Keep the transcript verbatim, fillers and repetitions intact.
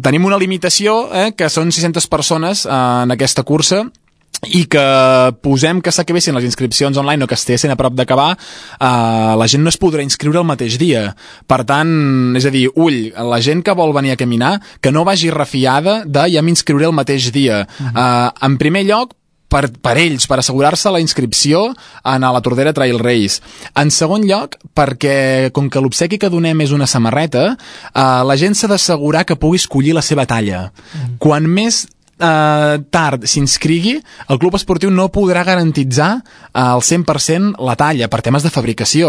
tenim una limitació, eh, que són sis-centes persones eh, en aquesta cursa, i que posem que s'acabessin les inscripcions online o que estiguessin a prop d'acabar, eh, la gent no es podrà inscriure el mateix dia. Per tant, és a dir, ull, la gent que vol venir a caminar, que no vagi refiada de ja m'inscriuré el mateix dia. Uh-huh. eh, en primer lloc, per, per ells, per assegurar-se la inscripció en la Tordera Trail Race. En segon lloc, perquè com que l'obsequi que donem és una samarreta, eh, la gent s'ha d'assegurar que pugui escollir la seva talla. Uh-huh. Quan més Uh, tard s'inscrigui, el club esportiu no podrà garantitzar uh, al cent per cent la talla per temes de fabricació.